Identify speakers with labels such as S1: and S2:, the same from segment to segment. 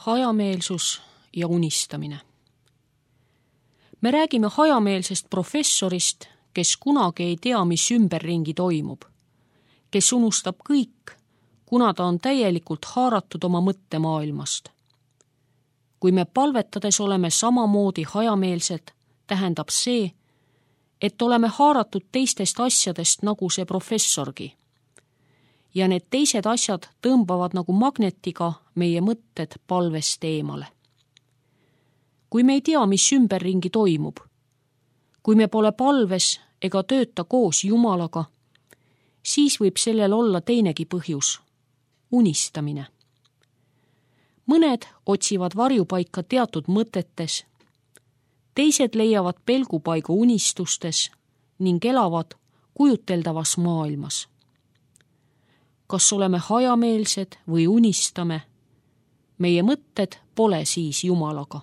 S1: Hajameelsus ja unistamine. Me räägime hajameelsest professorist, kes kunagi ei tea, mis ümberringi toimub, kes unustab kõik, kuna ta on täielikult haaratud oma mõttemaailmast. Kui me palvetades oleme samamoodi hajameelsed, tähendab see, et oleme haaratud teistest asjadest nagu see professorgi. Ja need teised asjad tõmbavad nagu magnetiga meie mõtted palvest eemale. Kui me ei tea, mis ümberringi toimub, kui me pole palves ega tööta koos Jumalaga, siis võib sellel olla teinegi põhjus – unistamine. Mõned otsivad varjupaika teatud mõtetes, teised leiavad pelgupaigu unistustes ning elavad kujuteldavas maailmas. Kas oleme hajameelsed või unistame, meie mõtted pole siis Jumalaga.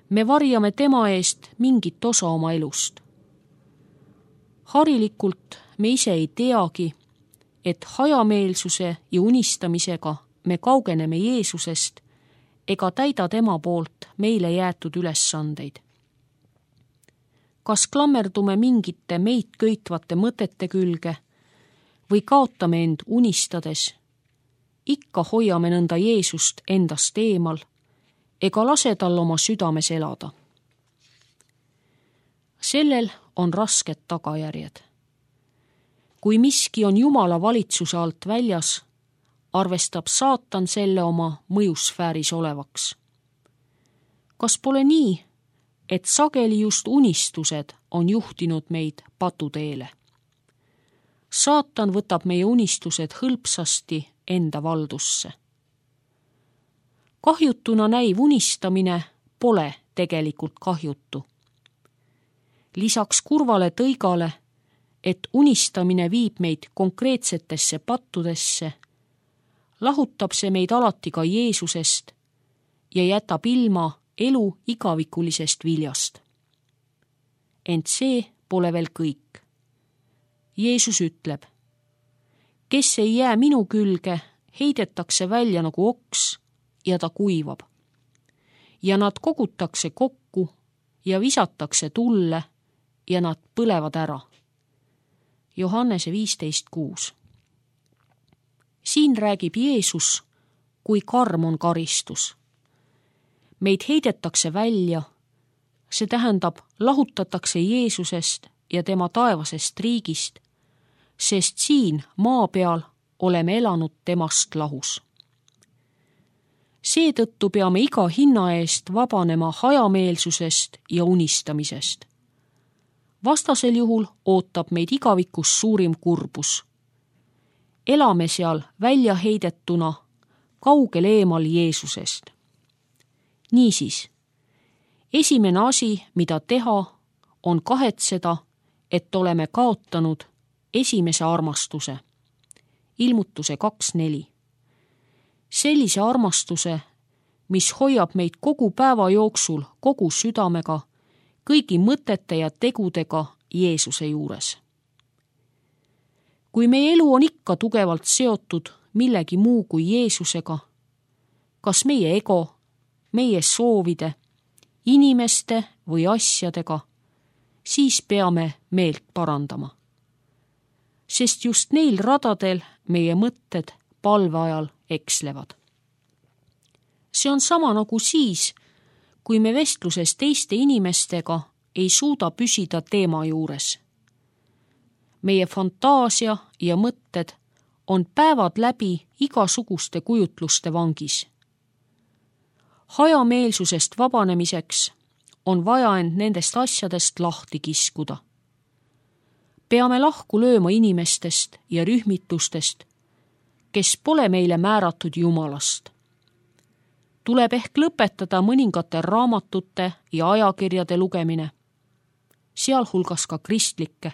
S1: Me varjame tema eest mingit osa oma elust. Harilikult me ise ei teagi, et hajameelsuse ja unistamisega me kaugeneme Jeesusest ega täida tema poolt meile jäetud ülesandeid. Kas klammerdume mingite meid köitvate mõtete külge või kaotame end unistades, ikka hoiame nõnda Jeesust endast eemal ega lase tal oma südames elada. Sellel on rasked tagajärjed. Kui miski on Jumala valitsuse alt väljas, arvestab saatan selle oma mõjusfääris olevaks. Kas pole nii, et sageli just unistused on juhtinud meid patuteele? Saatan võtab meie unistused hõlpsasti enda valdusse. Kahjutuna näiv unistamine pole tegelikult kahjutu. Lisaks kurvale tõigale, et unistamine viib meid konkreetsetesse pattudesse, lahutab see meid alati ka Jeesusest ja jätab ilma elu igavikulisest viljast. Ent see pole veel kõik. Jeesus ütleb, kes ei jää minu külge, heidetakse välja nagu oks ja ta kuivab. Ja nad kogutakse kokku ja visatakse tulle ja nad põlevad ära. Johannese 15:6. Siin räägib Jeesus, kui karm on karistus. Meid heidetakse välja, see tähendab lahutatakse Jeesusest ja tema taevasest riigist, sest siin maa peal oleme elanud temast lahus. Seetõttu peame iga hinna eest vabanema hajameelsusest ja unistamisest. Vastasel juhul ootab meid igavikus suurim kurbus. Elame seal välja heidetuna, kaugel eemal Jeesusest. Niisiis, esimene asi, mida teha, on kahetseda, et oleme kaotanud esimese armastuse. Ilmutuse 2:4. Sellise armastuse, mis hoiab meid kogu päeva jooksul kogu südamega, kõigi mõtete ja tegudega Jeesuse juures. Kui meie elu on ikka tugevalt seotud millegi muu kui Jeesusega, kas meie ego, meie soovide, inimeste või asjadega, siis peame meelt parandama. Sest just neil radadel meie mõtted palve ajal ekslevad. See on sama nagu siis, kui me vestluses teiste inimestega ei suuda püsida teema juures. Meie fantaasia ja mõtted on päevad läbi igasuguste kujutluste vangis. Hajameelsusest vabanemiseks on vaja end nendest asjadest lahti kiskuda. Peame lahku lööma inimestest ja rühmitustest, kes pole meile määratud Jumalast. Tuleb ehk lõpetada mõningate raamatute ja ajakirjade lugemine, sealhulgas ka kristlikke,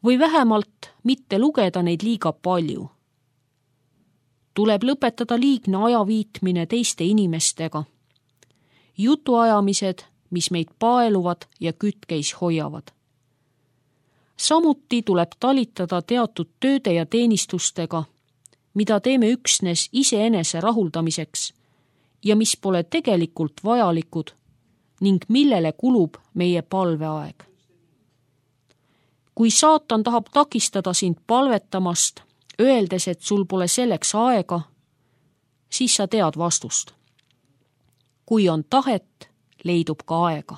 S1: või vähemalt mitte lugeda neid liiga palju. Tuleb lõpetada liigne ajaviitmine teiste inimestega, jutuajamised, mis meid paeluvad ja kütkeis hoiavad. Samuti tuleb talitada teatud tööde ja teenistustega, mida teeme üksnes iseenese rahuldamiseks ja mis pole tegelikult vajalikud ning millele kulub meie palveaeg. Kui saatan tahab takistada sind palvetamast, öeldes, et sul pole selleks aega, siis sa tead vastust. Kui on tahet, leidub ka aega.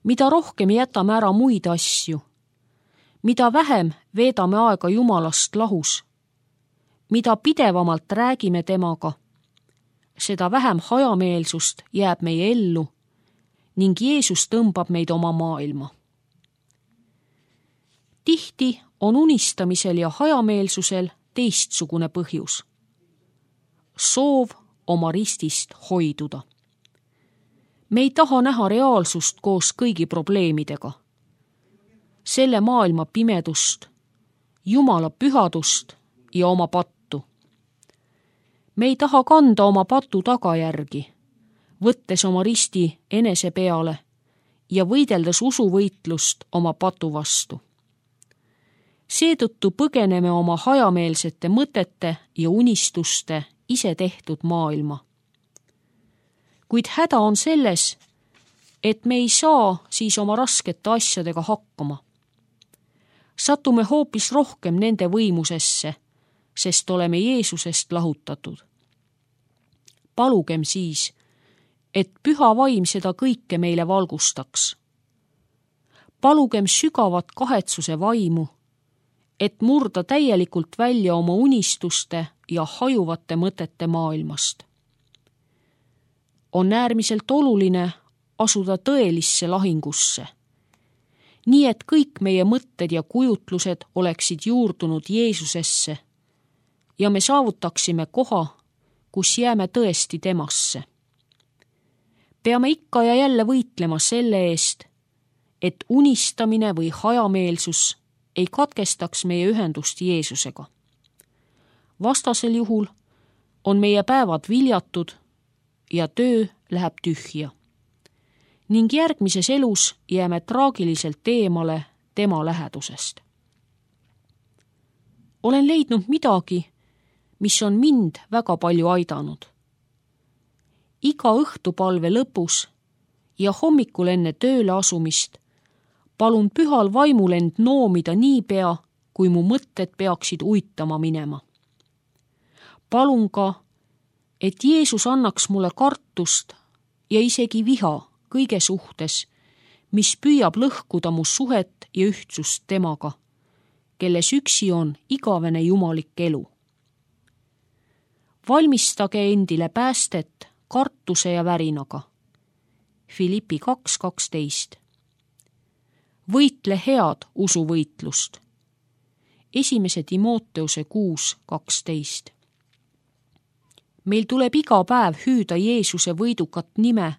S1: Mida rohkem jätame ära muid asju, mida vähem veedame aega Jumalast lahus, mida pidevamalt räägime temaga, seda vähem hajameelsust jääb meie ellu ning Jeesus tõmbab meid oma maailma. Tihti on unistamisel ja hajameelsusel teistsugune põhjus. Soov oma ristist hoiduda. Me ei taha näha reaalsust koos kõigi probleemidega. Selle maailma pimedust, Jumala pühadust ja oma pattu. Me ei taha kanda oma patu tagajärgi, võttes oma risti enese peale ja võideldes usuvõitlust oma patu vastu. Seetõttu põgeneme oma hajameelsete mõtete ja unistuste ise tehtud maailma. Kuid häda on selles, et me ei saa siis oma raskete asjadega hakkama. Satume hoopis rohkem nende võimusesse, sest oleme Jeesusest lahutatud. Palugem siis, et püha vaim seda kõike meile valgustaks. Palugem sügavat kahetsuse vaimu, et murda täielikult välja oma unistuste ja hajuvate mõtete maailmast. On äärmiselt oluline asuda tõelisse lahingusse, nii et kõik meie mõtted ja kujutlused oleksid juurdunud Jeesusesse ja me saavutaksime koha, kus jääme tõesti temasse. Peame ikka ja jälle võitlema selle eest, et unistamine või hajameelsus ei katkestaks meie ühendust Jeesusega. Vastasel juhul on meie päevad viljatud ja töö läheb tühja. Ning järgmises elus jääme traagiliselt eemale tema lähedusest. Olen leidnud midagi, mis on mind väga palju aidanud. Iga õhtupalve lõpus ja hommikul enne tööle asumist palun pühal vaimul end noomida niipea, kui mu mõtted peaksid uitama minema. Palun ka, et Jeesus annaks mulle kartust ja isegi viha kõige suhtes, mis püüab lõhkuda mu suhet ja ühtsust temaga, kelles üksi on igavene jumalik elu. Valmistage endile päästet kartuse ja värinaga. Filippi 2:12. Võitle head usuvõitlust. 1. Timoteuse 6:12. Meil tuleb iga päev hüüda Jeesuse võidukat nime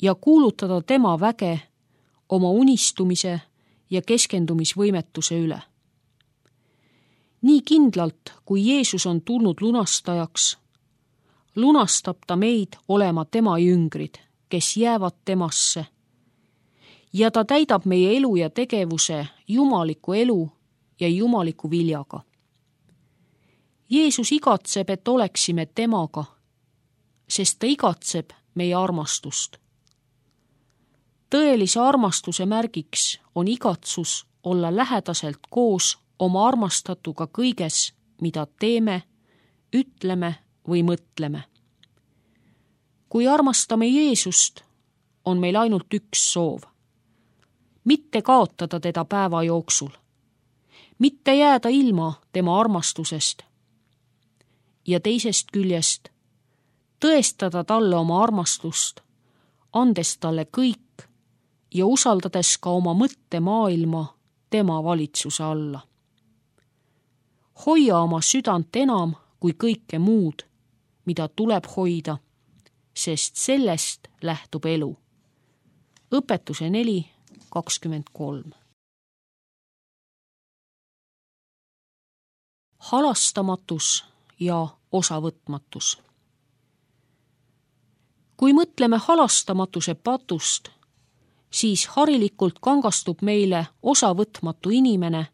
S1: ja kuulutada tema väge oma unistumise ja keskendumisvõimetuse üle. Nii kindlalt, kui Jeesus on tulnud lunastajaks, lunastab ta meid olema tema jüngrid, kes jäävad temasse, ja ta täidab meie elu ja tegevuse jumaliku elu ja jumaliku viljaga. Jeesus igatseb, et oleksime temaga, sest ta igatseb meie armastust. Tõelise armastuse märgiks on igatsus olla lähedaselt koos oma armastatuga kõiges, mida teeme, ütleme või mõtleme. Kui armastame Jeesust, on meil ainult üks soov. Mitte kaotada teda päeva jooksul, mitte jääda ilma tema armastusest ja teisest küljest tõestada talle oma armastust, andes talle kõik ja usaldades ka oma mõttemaailma tema valitsuse alla. Hoia oma südant enam kui kõike muud, mida tuleb hoida, sest sellest lähtub elu. Õpetuse 4:23. Halastamatus ja osavõtmatus. Kui mõtleme halastamatuse patust, siis harilikult kangastub meile osavõtmatu inimene,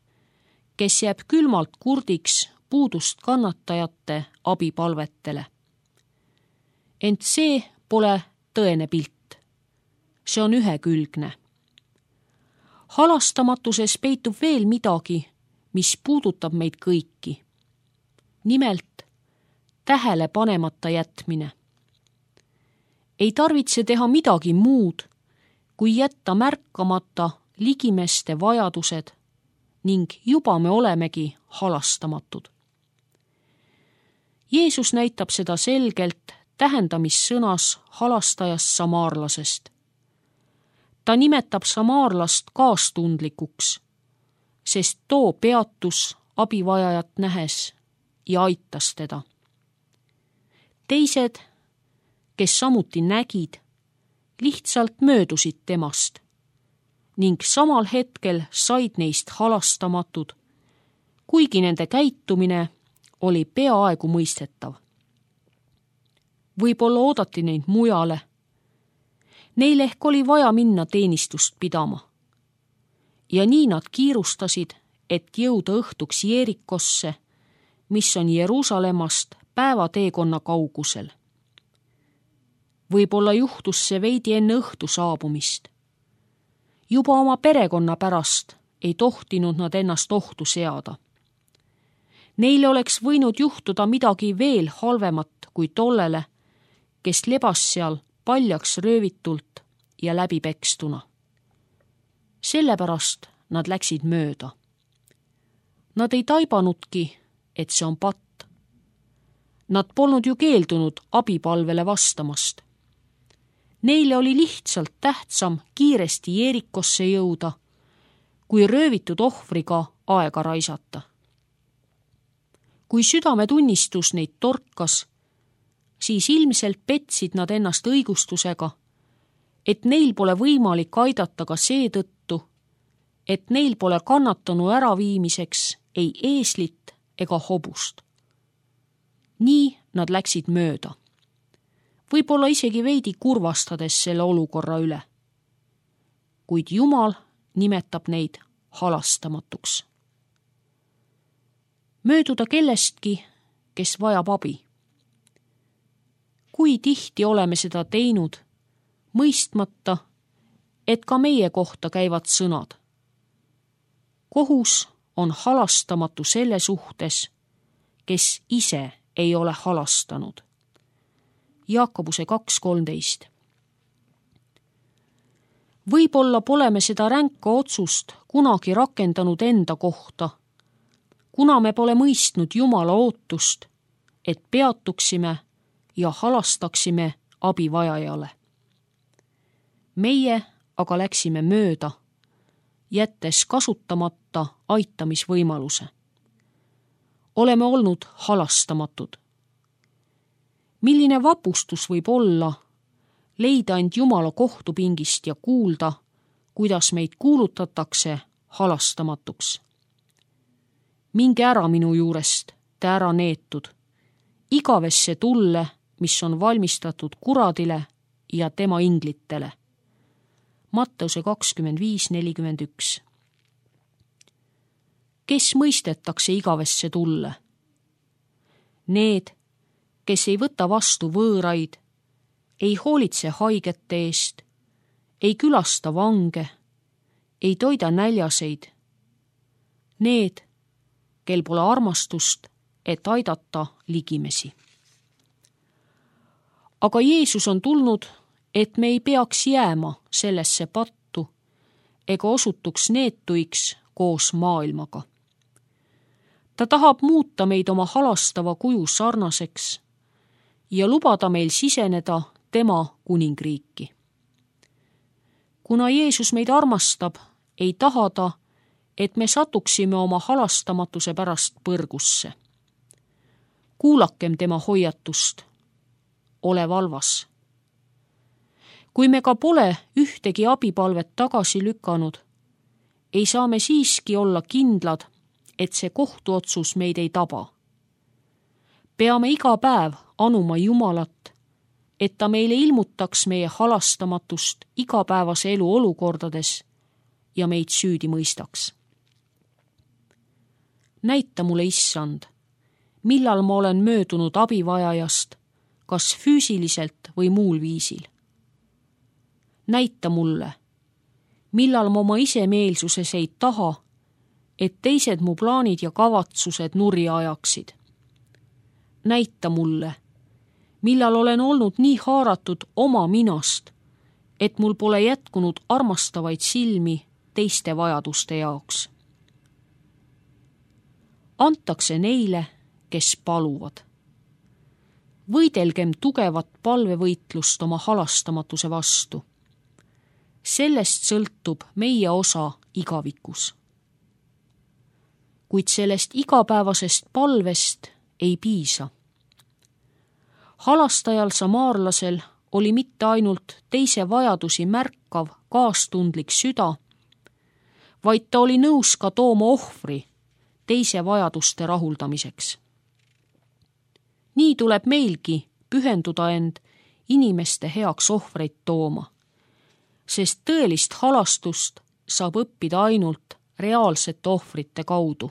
S1: kes jääb külmalt kurdiks puudust kannatajate abipalvetele. Ent see pole tõene pilt. See on ühekülgne. Halastamatuses peitub veel midagi, mis puudutab meid kõiki. Nimelt tähele panemata jätmine. Ei tarvitse teha midagi muud, kui jätta märkamata ligimeste vajadused ning juba me olemegi halastamatud. Jeesus näitab seda selgelt tähendamissõnas halastajast samaarlasest. Ta nimetab samaarlast kaastundlikuks, sest too peatus abivajajat nähes ja aitas teda. Teised, kes samuti nägid, lihtsalt möödusid temast ning samal hetkel said neist halastamatud, kuigi nende käitumine oli peaaegu mõistetav. Võib-olla oodati neid mujale. Neil ehk oli vaja minna teenistust pidama. Ja nii nad kiirustasid, et jõuda õhtuks Jeerikosse, mis on Jeruusalemmast päevateekonna kaugusel. Võib-olla juhtus see veidi enne õhtu saabumist. Juba oma perekonna pärast ei tohtinud nad ennast ohtu seada. Neile oleks võinud juhtuda midagi veel halvemat kui tollele, kes lebas seal paljaks röövitult ja läbipekstuna. Sellepärast nad läksid mööda. Nad ei taibanudki, et see on patt. Nad polnud ju keeldunud abipalvele vastamast. Neile oli lihtsalt tähtsam kiiresti Jeerikosse jõuda, kui röövitud ohvriga aega raisata. Kui südametunnistus neid torkas, siis ilmselt petsid nad ennast õigustusega, et neil pole võimalik aidata ka seetõttu, et neil pole kannatanu äraviimiseks ei eeslit ega hobust. Nii nad läksid mööda. Võib-olla isegi veidi kurvastades selle olukorra üle. Kuid Jumal nimetab neid halastamatuks. Mööduda kellestki, kes vajab abi. Kui tihti oleme seda teinud, mõistmata, et ka meie kohta käivad sõnad. Kohus on halastamatu selle suhtes, kes ise ei ole halastanud. Jaakobuse 2.13. Võib-olla pole me seda ränka otsust kunagi rakendanud enda kohta, kuna me pole mõistnud Jumala ootust, et peatuksime ja halastaksime abivajajale. Meie aga läksime mööda, jättes kasutamata aitamisvõimaluse. Oleme olnud halastamatud. Milline vapustus võib olla leida end Jumala kohtupingist ja kuulda, kuidas meid kuulutatakse halastamatuks. Minge ära minu juurest, te ära neetud, igavesse tulle, mis on valmistatud kuradile ja tema inglitele. Matteuse 25.41. Kes mõistetakse igavesse tulle? Need, kes ei võta vastu võõraid, ei hoolitse haigete eest, ei külasta vange, ei toida näljaseid. Need, kel pole armastust, et aidata ligimesi. Aga Jeesus on tulnud, et me ei peaks jääma sellesse pattu ega osutuks neetuiks koos maailmaga. Ta tahab muuta meid oma halastava kuju sarnaseks ja lubada meil siseneda tema kuningriiki. Kuna Jeesus meid armastab, ei taha ta, et me satuksime oma halastamatuse pärast põrgusse. Kuulakem tema hoiatust. Ole valvas. Kui me ka pole ühtegi abipalvet tagasi lükanud, ei saa me siiski olla kindlad, et see kohtuotsus meid ei taba. Peame iga päev anuma Jumalat, et ta meile ilmutaks meie halastamatust igapäevase elu olukordades ja meid süüdi mõistaks. Näita mulle, Issand, millal ma olen möödunud abivajajast, kas füüsiliselt või muul viisil. Näita mulle, millal ma oma isemeelsuses ei taha, et teised mu plaanid ja kavatsused nurja ajaksid. Näita mulle, millal olen olnud nii haaratud oma minast, et mul pole jätkunud armastavaid silmi teiste vajaduste jaoks. Antakse neile, kes paluvad. Võidelgem tugevat palvevõitlust oma halastamatuse vastu. Sellest sõltub meie osa igavikus. Kuid sellest igapäevasest palvest ei piisa. Halastajal samaarlasel oli mitte ainult teise vajadusi märkav, kaastundlik süda, vaid ta oli nõus ka tooma ohvri teise vajaduste rahuldamiseks. Nii tuleb meilgi pühenduda end inimeste heaks ohvreid tooma, sest tõelist halastust saab õppida ainult reaalsete ohvrite kaudu.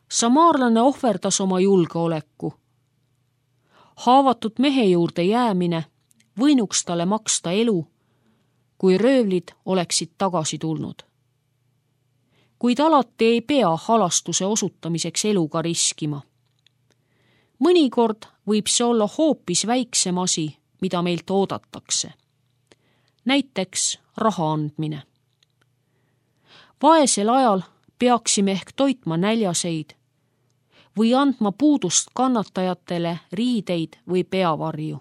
S1: Samaarlane ohverdas oma julgeoleku. Haavatud mehe juurde jäämine võinuks talle maksta elu, kui röövlid oleksid tagasi tulnud. Kuid alati ei pea halastuse osutamiseks eluga riskima. Mõnikord võib see olla hoopis väiksem asi, mida meilt oodatakse. Näiteks raha andmine. Vaesel ajal peaksime ehk toitma näljaseid või andma puudust kannatajatele riideid või peavarju.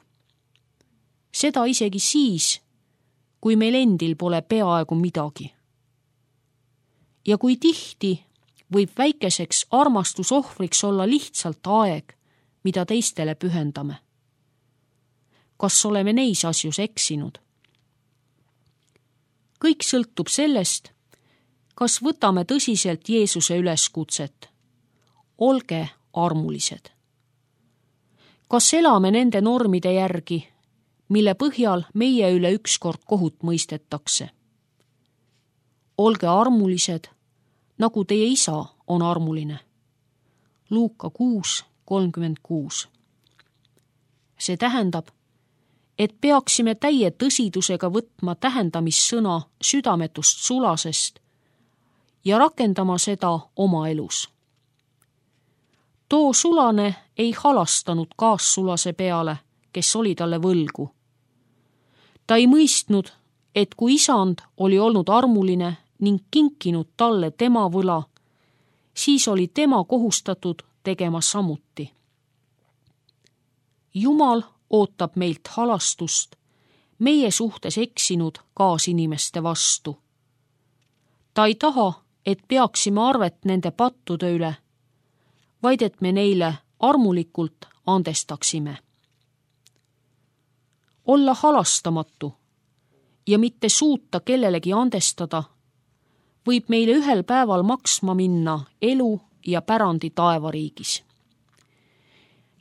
S1: Seda isegi siis, kui meil endil pole peaaegu midagi. Ja kui tihti võib väikeseks armastusohvriks olla lihtsalt aeg, mida teistele pühendame. Kas oleme neis asjus eksinud? Kõik sõltub sellest, kas võtame tõsiselt Jeesuse üleskutset. Olge armulised. Kas elame nende normide järgi, mille põhjal meie üle ükskord kohut mõistetakse? Olge armulised, nagu teie isa on armuline. Luuka 6:36. See tähendab, et peaksime täie tõsidusega võtma tähendamissõna südametust sulasest ja rakendama seda oma elus. Too sulane ei halastanud kaassulase peale, kes oli talle võlgu. Ta ei mõistnud, et kui isand oli olnud armuline ning kinkinud talle tema võla, siis oli tema kohustatud tegema samuti. Jumal ootab meilt halastust meie suhtes eksinud kaasinimeste vastu. Ta ei taha, et peaksime arvet nende pattude üle, vaid et me neile armulikult andestaksime. Olla halastamatu ja mitte suuta kellelegi andestada võib meile ühel päeval maksma minna elu ja pärandi taevariigis.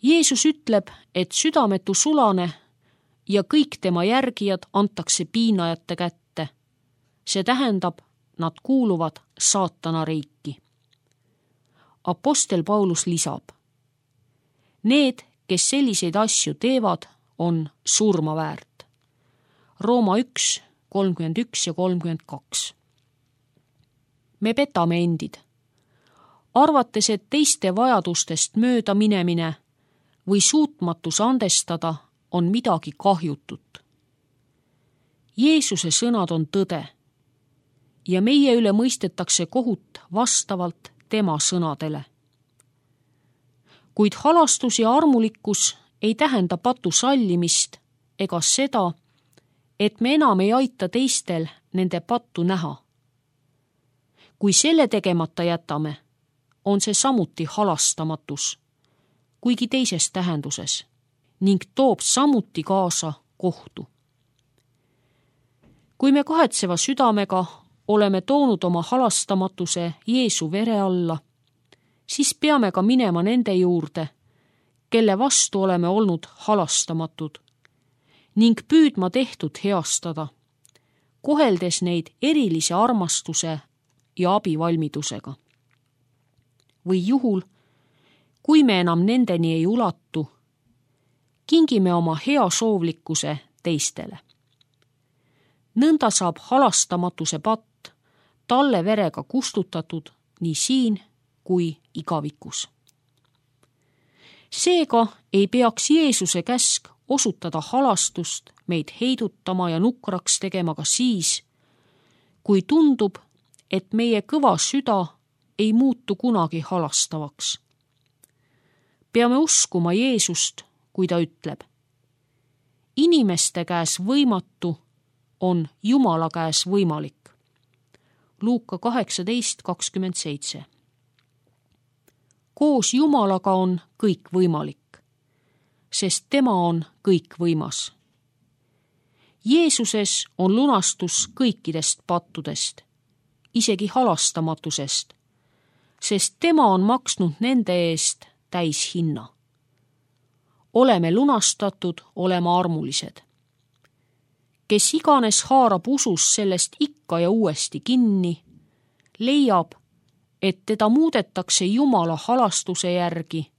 S1: Jeesus ütleb, et südametu sulane ja kõik tema järgijad antakse piinajate kätte. See tähendab, nad kuuluvad saatana riiki. Apostel Paulus lisab, need, kes selliseid asju teevad, on surma väärt. Rooma 1:31 ja 32. Me petame endid, arvates, et teiste vajadustest mööda minemine või suutmatus andestada on midagi kahjutut. Jeesuse sõnad on tõde ja meie üle mõistetakse kohut vastavalt tema sõnadele. Kuid halastus ja armulikkus ei tähenda patu sallimist ega seda, et me enam ei aita teistel nende pattu näha. Kui selle tegemata jätame, on see samuti halastamatus, kuigi teises tähenduses, ning toob samuti kaasa kohtu. Kui me kahetseva südamega oleme toonud oma halastamatuse Jeesu vere alla, siis peame ka minema nende juurde, kelle vastu oleme olnud halastamatud, ning püüdma tehtud heastada, koheldes neid erilise armastuse ja abivalmidusega. Või juhul, kui me enam nendeni ei ulatu, kingime oma heasoovlikkuse teistele. Nõnda saab halastamatuse patt talle verega kustutatud nii siin kui igavikus. Seega ei peaks Jeesuse käsk osutada halastust meid heidutama ja nukraks tegema ka siis, kui tundub, et meie kõva süda ei muutu kunagi halastavaks. Peame uskuma Jeesust, kui ta ütleb: inimeste käes võimatu on Jumala käes võimalik. Luuka 18:27. Koos Jumalaga on kõik võimalik, sest tema on kõikvõimas. Jeesuses on lunastus kõikidest pattudest, isegi halastamatusest, sest tema on maksnud nende eest täishinna. Oleme lunastatud olema armulised. Kes iganes haarab usus sellest ikka ja uuesti kinni, leiab, et teda muudetakse Jumala halastuse järgi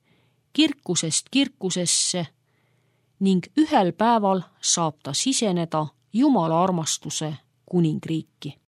S1: kirkusest kirkusesse ning ühel päeval saab ta siseneda Jumala armastuse kuningriiki.